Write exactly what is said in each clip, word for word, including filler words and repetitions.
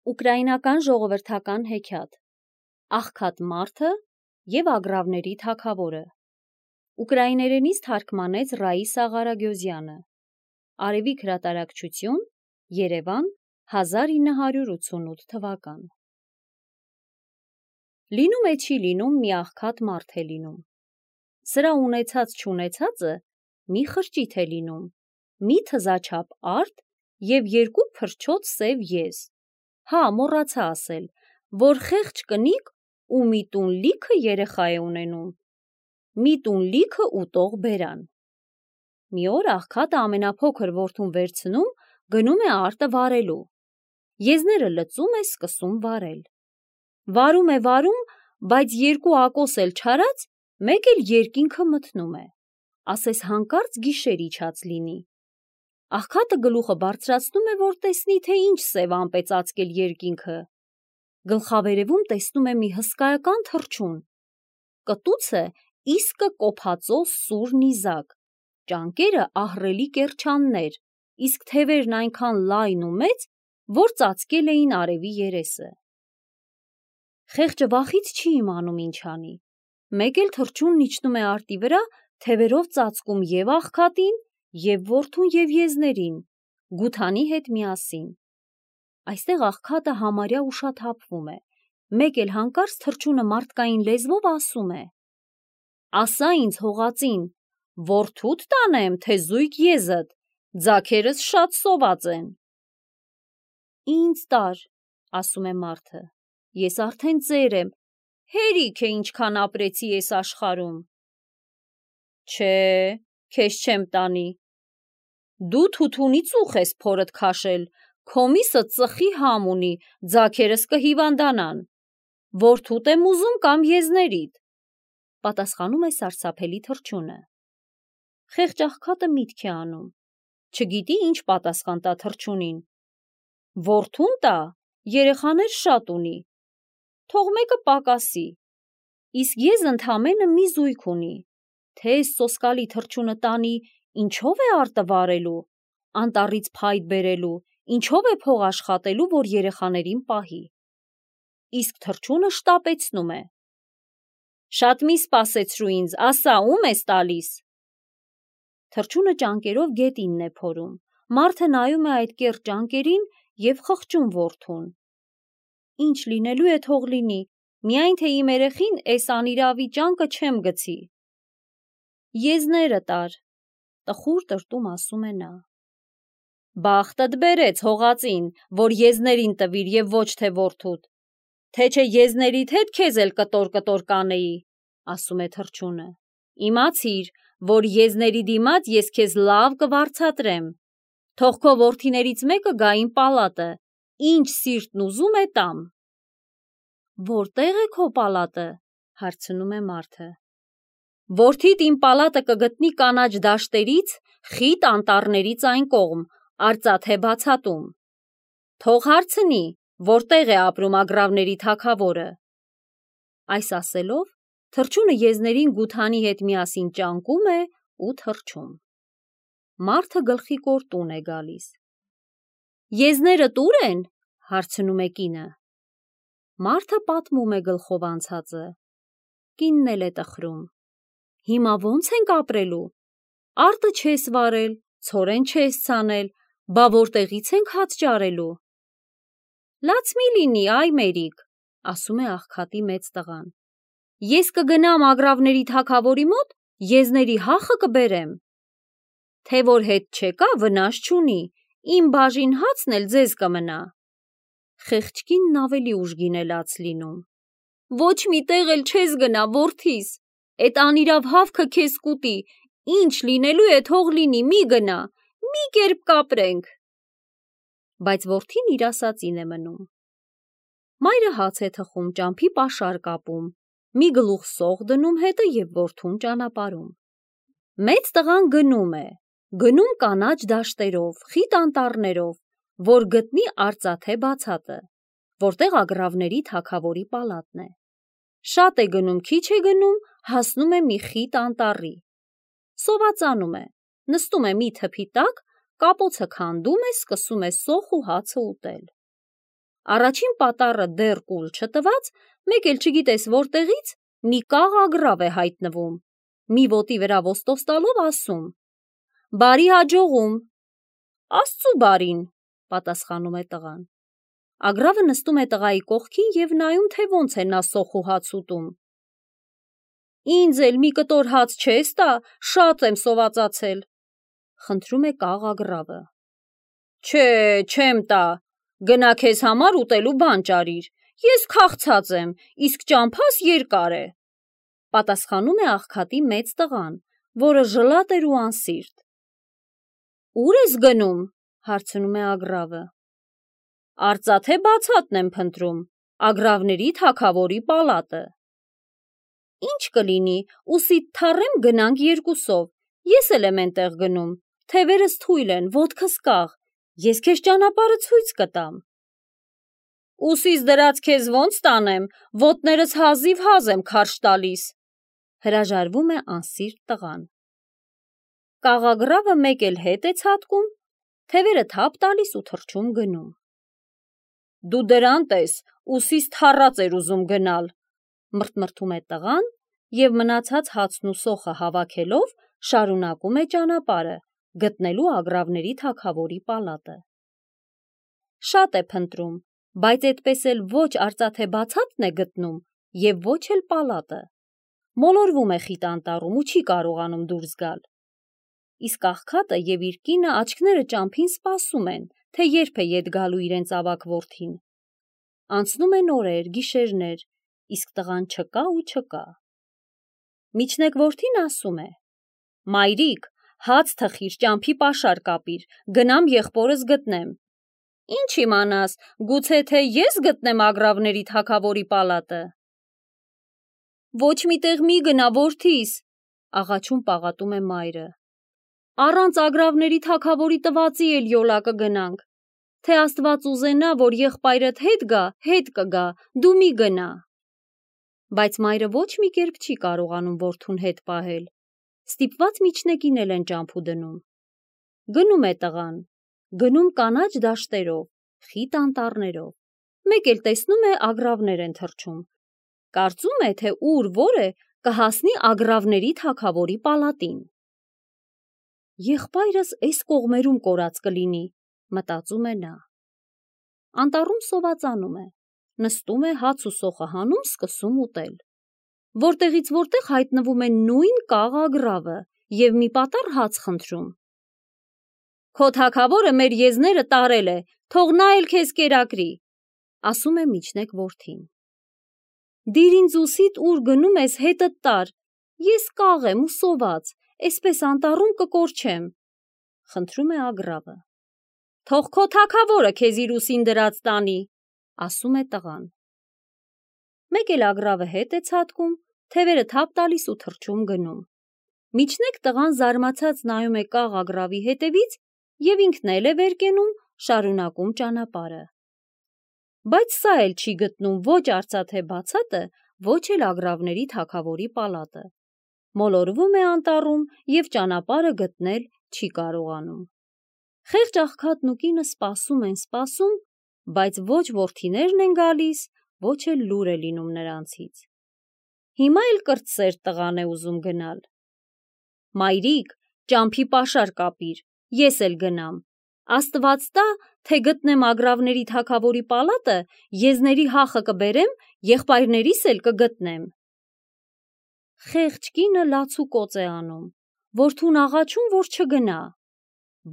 Ուկրաինական ժողովրդական հեքիաթ Աղքատ մարդը և ագռավների թագավորը Ուկրաիներենից թարգմանեց Ռաիսա Ղարագյոզյանը Արևիկ հրատարակչություն Երևան հազար ինը հարյուր ութսունութ թվական Լինում է չի լինում մի աղքատ մարդ է լինում Սրա ունեցած չունեցածը մի խրճիթ է լինում մի թզաչափ արդ և երկու փրչոտ սև եզ Հա, մոռացա ասել, որ խեղճ կնիկ ու մի տուն լիքը երեխա է ունենում, մի տուն լիքը ուտող բերան։ Մի օր աղքատը ամենափոքր որդուն վերցնում, գնում է արտը վարելու։ Եզները լծում է, սկսում վարել։ Վարում է, վարում, բայց երկու ակոս էլ չարած, մեկ էլ երկինքը մթնում է, ասես հանկարծ գիշեր իջած լինի։ Աղքատը գլուխը բարձրացնում է, որ տեսնի, թե ինչ սև ամպ է ծածկել երկինքը։ Գլխավերևում տեսնում է մի հսկայական թռչուն։ Կտուցը իսկը կոփածո սուր նիզակ, ճանկերը ահռելի կեռչաններ, իսկ թևերն այնքան լայն ու մեծ, որ ծածկել էին արևի երեսը։ Խեղճը վախից չի իմանում ինչ անի։ Մեկ էլ թռչունն իջնում է արտի վրա, թևերով ծածկում և աղքատին, և որդուն և եզներին, գութանի հետ միասին։ Այստեղ աղքատը համարյա ուշաթափվում է, մեկ էլ հանկարծ թռչունը մարդկային լեզվով ասում է. «Ասա ինձ հողածին, որդուդ տանեմ, թե զույգ եզդ, ձագերս շատ սոված են»։ «Ինձ տար», ասում է մարդը, «ես արդեն ծեր եմ, հերիք է ինչքան ապրեցի էս աշխարհում»։ «Չէ, քեզ չեմ տանի, դու թութունի ծուխ ես փորդ քաշել, քո միսը ծխի համ ունի, ձագերս կհիվանդանան, որդուդ եմ ուզում կամ եզներիդ», պատասխանում է սարսափելի թռչունը։ Խեղճ աղքատը միտք է անում, չգիտի ինչ պատասխան տա թռչունին։ Որդուն տա, երեխաներ շատ ունի, թող մեկը պակասի, իսկ եզ ընդամենը մի զույգ ունի, թե էս սոսկալի թռչունը տանի, ինչով է արտը վարելու, անտառից փայտ բերելու, ինչով է փող աշխատելու, որ երեխաներին պահի։ Իսկ թռչունը շտապեցնում է. «Շատ մի սպասեցրու ինձ, ասա, ում ես տալիս»։ Թռչունը ճանկերով գետինն է փորում, մարդը նայում է այդ կեռ ճանկերին և խղճում որդուն. «Ինչ լինելու է թող լինի, միայն թե իմ երեխին էս անիրավի ճանկը չեմ գցի»։ «Եզները տար», տխուր տրտում ասում է նա։ «Բախտդ բերեց հողածին, որ եզներին տվիր և ոչ թե որդուդ, թե չէ եզներիդ հետ քեզ էլ կտոր-կտոր կանեի», ասում է թռչունը։ «Իմացիր, որ եզների դիմաց ես քեզ լավ կվարձատրեմ, թող քո որդիներից մեկը գա իմ պալատը, ինչ սիրտն ուզում է տամ»։ «Որտե՞ղ է քո պալատը», հարցնում է մարդը։ «Որդիդ իմ պալատը կգտնի կանաչ դաշտերից, խիտ անտառներից այն կողմ, արծաթե բացատում։ Թող հարցնի, որտեղ է ապրում ագռավների թագավորը»։ Այս ասելով, թռչունը եզներին գութանի հետ միասին ճանկում է ու թռչում։ Մարդը գլխի կոր տուն է գալիս։ «Եզներդ ո՞ւր են», հարցնում է կինը։ Մարդը պատմում է գլխով անցածը։ Կինն էլ է տխրում. «Հիմա ո՞նց ենք ապրելու, արտը չես վարել, ցորեն չես ցանել, բա որտեղից ենք հաց ճարելու»։ «Լաց մի լինի, այ մերիկ», ասում է աղքատի մեծ տղան։ «Ես կգնամ ագռավների թագավորի մոտ, եզների հախը կբերեմ։ Թե որ հետ չեկա, վնաս չունի, իմ բաժին հացն էլ ձեզ կմնա»։ Խեղճ կինն ավելի ուժգին է լաց լինում. «Ոչ մի տեղ էլ չես գնա, որդիս, էդ անիրավ հավքը քեզ կուտի, ինչ լինելու է թող լինի, մի գնա, մի կերպ կապրենք»։ Բայց որդին իր ասածին է մնում։ Մայրը հաց է թխում, ճամփի պաշար կապում, մի գլուխ սող դնում հետը և որդուն ճանապարհում։ Մեծ տղան գնում է, գնում կանաչ դաշտերով, խիտ անտառներով, որ գտնի արծաթե բացատը, որտեղ ագռավների թագավորի պալատն է։ Շատ է գնում, քիչ է գնում, հասնում է մի խիտ անտառի։ Սովածանում է, նստում է մի թփի տակ, կապոցը քանդում է, սկսում է սոխ ու հացը ուտել։ Առաջին պատառը դեռ կուլ չտված, մեկ էլ չգիտես որտեղից մի կաղ ագռավ է հայտնվում, մի ոտի վրա ոստով տալով ասում. «Բարի հաջողում»։ «Աստծու բարին», պատասխանում է տղան։ Ագռավը նստում է տղայի կողքին և նայում, թե ոնց է նա սոխ ու հաց ուտում։ «Ինձ էլ մի կտոր հաց չես տա, շատ եմ սովածացել», խնդրում է կաղ ագռավը։ «Չէ, չեմ տա, գնա քեզ համար ուտելու բան ճարիր, ես քաղցած եմ, իսկ ճամփաս երկար է», պատասխանում է աղքատի մեծ տղան, որը ժլատ էր ու անսիրտ։ «Ուր ես գնում», հարցնում է ագռավը։ «Արծաթե բացատն եմ փնտրում, ագռավների թագավորի պալատը»։ «Ինչ կլինի, ուսիդ թառեմ գնանք երկուսով, ես էլ եմ էնտեղ գնում, թևերս թույլ են, ոտքս կաղ, ես քեզ ճանապարհը ցույց կտամ»։ «Ուսիս դրած քեզ ոնց տանեմ, ոտներս հազիվ հազ եմ քարշ տալիս», հրաժարվում է անսիրտ տղան։ Կաղ ագռավը մեկ էլ հետ է ցատկում, թևերը թափ տալիս ու թռչում գնում։ «Դու դրան տես, ուսիս թառած էր ուզում գնալ», մրթմրթում է տղան և մնացած հացն ու սոխը հավաքելով շարունակում է ճանապարհը գտնելու ագռավների թագավորի պալատը։ Շատ է փնտրում, բայց այդպես էլ ոչ արծաթե բացատն է գտնում և ոչ էլ պալատը։ Մոլորվում է խիտ անտառում ու չի կարողանում դուրս գալ։ Իսկ աղքատը և իր կինը աչքները ճամփին սպասում են, թե երբ է ետ գալու իրենց ավագ որդին։ Անցնում են օրեր, գիշերներ, իսկ տղան չկա ու չկա։ Միջնեկ որդին ասում է. «Մայրիկ, հաց թխիր, ճամփի պաշար կապիր, գնամ եղբորս գտնեմ»։ «Ինչ իմանաս, գուցե թե ես գտնեմ ագռավների թագավորի պալատը»։ «Ոչ մի տեղ մի գնա, որդիս», աղաչում պաղատում է մայրը։ «Առանց ագռավների թագավորի տվածի էլ յոլա կգնանք, թե Աստված ուզենա, որ եղբայրդ հետ գա, հետ կգա, դու մի գնա»։ Բայց մայրը ոչ մի կերպ չի կարողանում որդուն հետ պահել, ստիպված միջնեկին էլ են ճամփու դնում։ Գնում է տղան, գնում կանաչ դաշտերով, խիտ անտառներով, մեկ էլ տեսնում է ագռավներ են թռչում, կարծում է, թե ուր որ է կհասնի ագռավների թագավորի պալատին։ Եղբայրս էս կողմերում կորած կլինի, մտածում է նա։ Անտառում սովածանում է, նստում է, հաց ու սոխը հանում, սկսում ուտել։ Որտեղից որտեղ հայտնվում է նույն կաղ ագռավը և մի պատառ հաց խնդրում։ «Քո թագավորը մեր եզները տարել է, թող նա էլ քեզ կերակրի», ասում է միջնեկ որդին։ «Դիր ինձ ուսիդ ուր գնում ես հետդ տար, ես կաղ եմ ու սոված, էսպես անտառում կկորչեմ», խնդրում է ագռավը։ «Թող քո թագավորը քեզ իր ուսին դրած տանի», ասում է տղան։ Մեկ էլ ագռավը հետ է ցատկում, թևերը թափ տալիս ու թռչում գնում։ Միջնեկ տղան զարմացած նայում է կաղ ագռավի հետևից և ինքն էլ է վեր կենում, շարունակում ճանապարհը։ Բայց սա էլ չի գտնում ոչ արծաթե բացատը, ոչ էլ ագռավների թագավորի պալատը։ Մոլորվում է անտառում և ճանապարհը գտնել չի կարողանում։ Խեղճ աղքատն ու կինը սպասում են, սպասում, բայց ոչ որդիներն են գալիս, ոչ էլ լուր է լինում նրանցից։ Հիմա էլ կրտսեր տղան է ուզում գնալ։ «Մայրիկ, ճամփի պաշար կապիր, ես էլ գնամ, Աստված տա, թե գտնեմ ագռավների թագավորի պալատը, եզների հախը կբերեմ, եղբայրներիս էլ կգտնեմ»։ Խեղճ կինը լաց ու կոծ է անում, որդուն աղաչում, որ չգնա,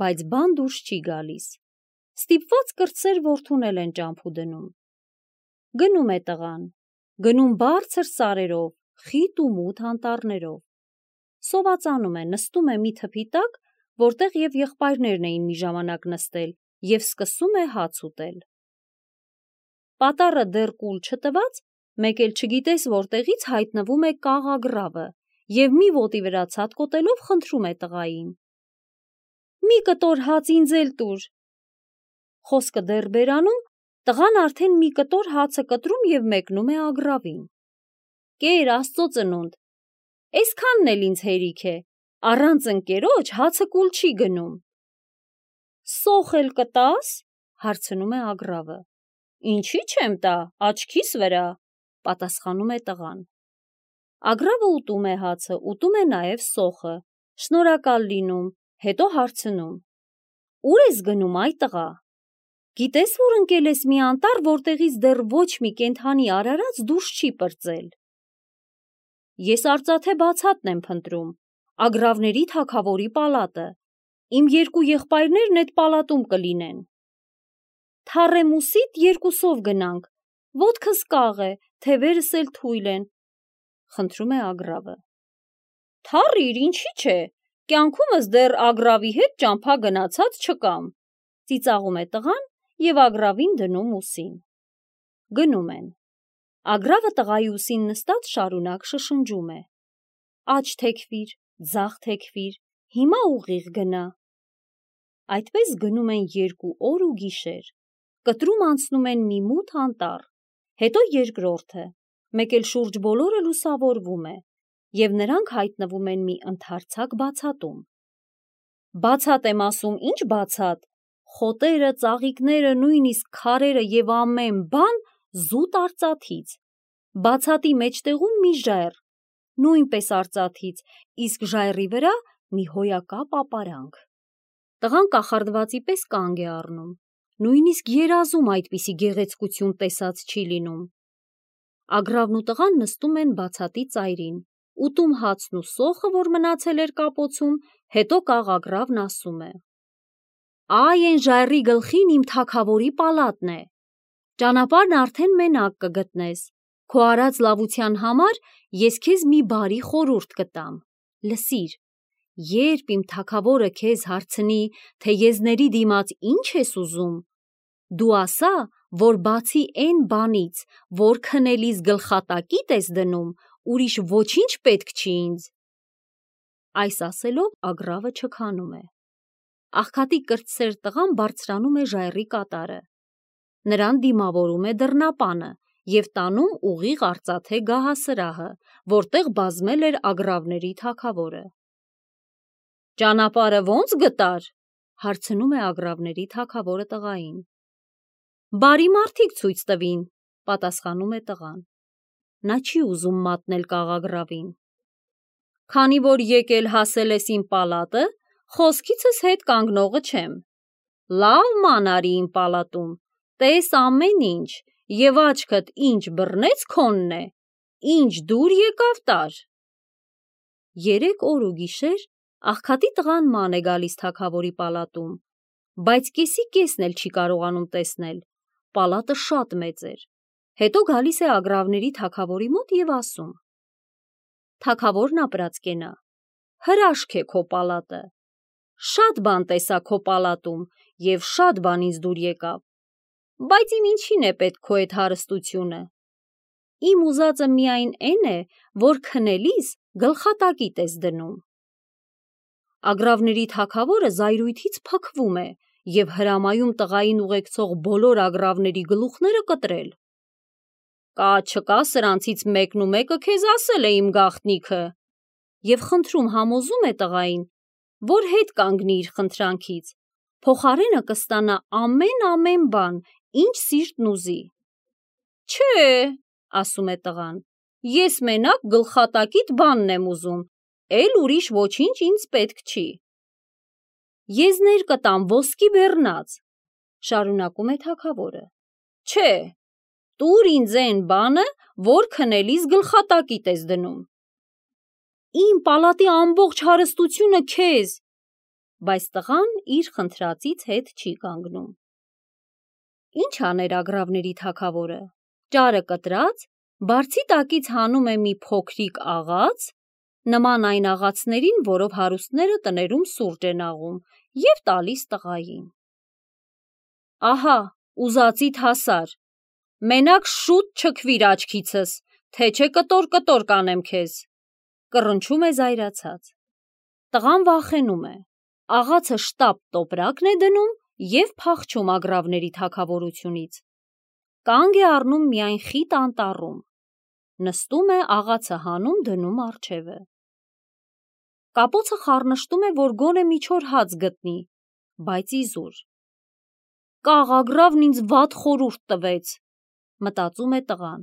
բայց բան դուրս չի գալիս։ Ստիպված կրտսեր որդուն էլ են ճամփու դնում։ Գնում է տղան, գնում բարձր սարերով, խիտ ու մութ անտառներով։ Սովածանում է, նստում է մի թփի տակ, որտեղ և եղբայրներն էին մի ժամանակ նստել, և սկսում է հաց ուտել։ Պատառը դեռ կուլ չտված, մեկ էլ չգիտես որտեղից հայտնվում է կաղ ագռավը և մի ոտի վրա ցատկոտելով խնդրում է տղային. «Մի կտոր հաց ինձ էլ տուր»։ Խոսքը դեռ բերանում, տղան արդեն մի կտոր հացը կտրում և մեկնում է ագռավին։ «Կեր, Աստծո ծնունդ, էսքանն էլ ինձ հերիք է, առանց ընկերոջ հացը կուլ չի գնում»։ «Սոխ էլ կտա՞ս», հարցնում է ագռավը։ Ինչի՞ չեմ տա, աչքիս վրա, պատասխանում է տղան։ Ագրավը ուտում է հացը, ուտում է նաև սոխը, շնորհակալ լինում, հետո հարցնում. Ուր ես գնում, այ տղա։ Գիտես, որ ընկել ես մի անտառ, որտեղից դեռ ոչ մի կենդանի արարած դուրս չի պրծել։ Ես արծաթե բացատն եմ փնտրում, ագրավների թագավորի պալատը։ Իմ երկու եղբայրներն այդ պալատում կլինեն։ Թառեմուսիդ երկուսով գնանք, ոտքս կաղ է, թևերս էլ թույլ են, խնդրում է ագրավը։ Թառիր, ինչի՞ չէ, կյանքումս դեռ ագրավի հետ ճամփա գնացած չկամ, ծիծաղում է տղան և ագրավին դնում ուսին։ Գնում են։ Ագրավը տղայի ուսին նստած շարունակ շշնջում է. Աջ թեքվիր, ձախ թեքվիր, հիմա ուղիղ գնա։ Այդպես գնում են երկու օր ու գիշեր, կտրում անցնում են մի մութ անտառ, հետո երկրորդը, մեկ էլ շուրջ բոլորը լուսավորվում է, և նրանք հայտնվում են մի ընդարձակ բացատում։ Բացատ եմ ասում, ինչ բացատ, խոտերը, ծաղիկները, նույնիսկ քարերը և ամեն բան զուտ արծաթից, բացատի մեջտեղում մի ժայռ, նույնպես արծաթից, իսկ ժայռի վրա մի հոյակապ ապարանք։ Տղան կախարդվածի պես կանգ է առնում, նույնիսկ երազում այդպիսի գեղեցկություն տեսած չի լինում։ Ագրավն ու տղան նստում են բացատի ծայրին, ուտում հացն ու սոխը, որ մնացել էր կապոցում, հետո կաղ ագրավն ասում է. Այ էն ժայռի գլխին իմ թագավորի պալատն է, ճանապարհն արդեն մենակ կգտնես, քո արած լավության համար ես քեզ մի բարի խորհուրդ կտամ, լսիր, երբ իմ թագավորը քեզ հարցնի, թե եզների դիմաց ինչ ես ուզում, դու ասա, որ բացի էն բանից, որ քնելիս գլխատակիդ ես դնում, ուրիշ ոչինչ պետք չի ինձ։ Այս ասելով ագրավը չքանում է։ Աղքատի կրտսեր տղան բարձրանում է ժայռի կատարը, նրան դիմավորում է դռնապանը և տանում ուղիղ արծաթե գահասրահը, որտեղ բազմել էր ագրավների թագավորը։ Ճանապարհը ո՞նց գտար, հարցնում է ագրավների թագավորը տղային։ Բարի մարդիկ ցույց տվին, պատասխանում է տղան։ Նա չի ուզում մատնել կաղ ագրավին։ Քանի որ եկել հասել ես իմ պալատը, խոսքիցս հետ կանգնողը չեմ։ Լավ ման արի իմ պալատում, տես ամեն ինչ, և աչքդ ինչ բռնեց քոնն է, ինչ դուր եկավ տար։ Երեք օր ու գիշեր աղքատի տղան ման է գալիս թագավորի պալատում, բայց կեսի կեսն էլ չի կարողանում տեսնել, պալատը շատ մեծ էր, հետո գալիս է ագրավների թագավորի մոտ և ասում. Թագավորն ապրած կենա, հրաշք է քո պալատը, շատ բան տեսա քո պալատում և շատ բան ինձ դուր եկավ, բայց իմ ինչին է պետք քո այդ հարստությունը, իմ ուզածը միայն էն է, որ քնելիս գլխատակիդ ես դնում։ Ագրավների թագավորը զայրույթից փքվում է և հրամայում տղային ուղեկցող բոլոր ագրավների գլուխները կտրել։ Կա չկա սրանցից մեկն ու մեկը քեզ ասել է իմ գաղտնիքը, և խնդրում համոզում է տղային, որ հետ կանգնի իր խնդրանքից, փոխարենը կստանա ամեն-ամեն բան, ինչ սիրտն ուզի։ Չէ, ասում է տղան, ես մենակ գլխատակիդ բանն եմ ուզում, էլ ուրիշ ոչինչ ինձ պետք չի։ Եզներ կտամ ոսկի բեռնած, շարունակում է թագավորը։ Չէ, տուր ինձ էն բանը, որ քնելիս գլխատակիդ ես դնում։ Իմ պալատի ամբողջ հարստությունը քեզ, բայց տղան իր խնդրածից հետ չի կանգնում։ Ինչ աներ ագրավների թագավորը, ճարը կտրած, բարձի տակից հանում է մի փոքրիկ աղաց, նման այն աղացներին, որով հարուստները տներում սուրճ են աղում, և տալիս տղային։ Ահա, ուզածիդ հասար, մենակ շուտ չքվիր աչքիցս, թե չէ կտոր-կտոր կանեմ քեզ, կռնչում է զայրացած։ Տղան վախենում է, աղացը շտապ տոպրակն է դնում և փախչում ագրավների թագավորությունից։ Կանգ է առնում միայն խիտ անտառում, նստում է աղացը հանում դնում առջևը։ Կապոցը խառնշտում է, որ գոնե մի չոր հաց գտնի, բայց իզուր։ կաղագրավն ինձ վատ խորհուրդ տվեց, մտածում է տղան։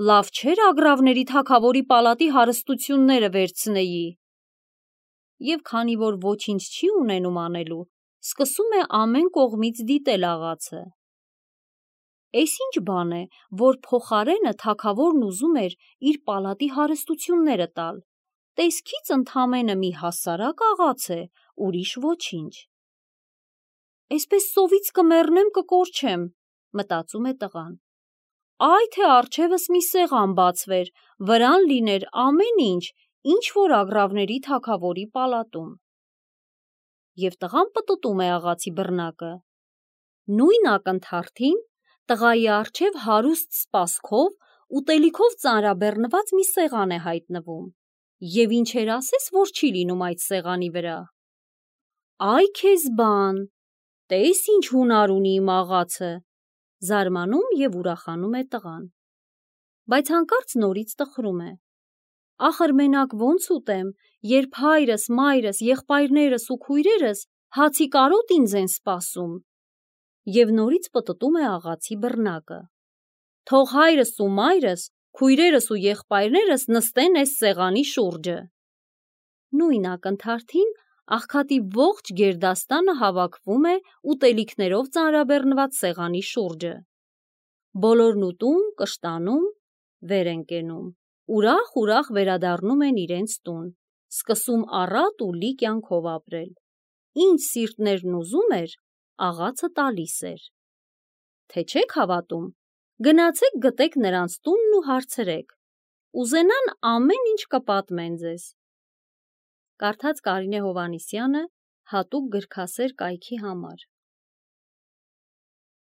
Լավ չէր ագրավների թագավորի պալատի հարստությունները վերցնեի։ Եվ քանի որ ոչինչ չի ունենում անելու, սկսում է ամեն կողմից դիտել աղացը։ Էս ինչ բան է, որ փոխարենը թագավորն ուզում էր իր պալատի հարստությունները տալ։ Տեսքից ընդամենը մի հասարակ աղաց է, ուրիշ ոչինչ։ Էսպես սովից կմեռնեմ կկորչեմ, մտածում է տղան։ Այ թե առջևս մի սեղան բացվեր, վրան լիներ ամեն ինչ, ինչ որ ագրավների թագավորի պալատում։ Եվ տղան պտտում է աղացի բռնակը։ Նույն ակնթարթին տղայի առջև հարուստ սպասքով, ուտելիքով ծանրաբեռնված մի սեղան է հայտնվում։ Եվ ինչեր ասես, որ չի լինում այդ սեղանի վրա։ Այ քեզ բան, տես ինչ հունար ունի իմ աղացը, զարմանում և ուրախանում է տղան։ Բայց հանկարծ նորից տխրում է։ Ախր մենակ ոնց ուտեմ, երբ հայրս, մայրս, եղբայրներս ու քույրերս հացի կարոտ ինձ են սպասում։ Եվ նորից պտտում է աղացի բռնակը։ Թող հայրս ու մայրս, քույրերս ու եղբայրներս նստեն այս սեղանի շուրջը։ Նույն ակնթարթին աղքատի ողջ գերդաստանը հավաքվում է ուտելիքներով ծանրաբեռնված սեղանի շուրջը։ Բոլորն ուտում, կշտանում, վեր են կենում, ուրախ-ուրախ վերադառնում են իրենց տուն, սկսում առատ ու լի կյանքով ապրել։ Ինչ սիրտներն ուզում էր, աղացը տալիս էր։ Թե չեք հավատում, գնացեք գտեք նրանց տունն ու հարցրեք, ուզենան ամեն ինչ կպատմեն ձեզ։ Կարդաց Կարինե Հովհաննիսյանը հատուկ գրքասեր կայքի համար։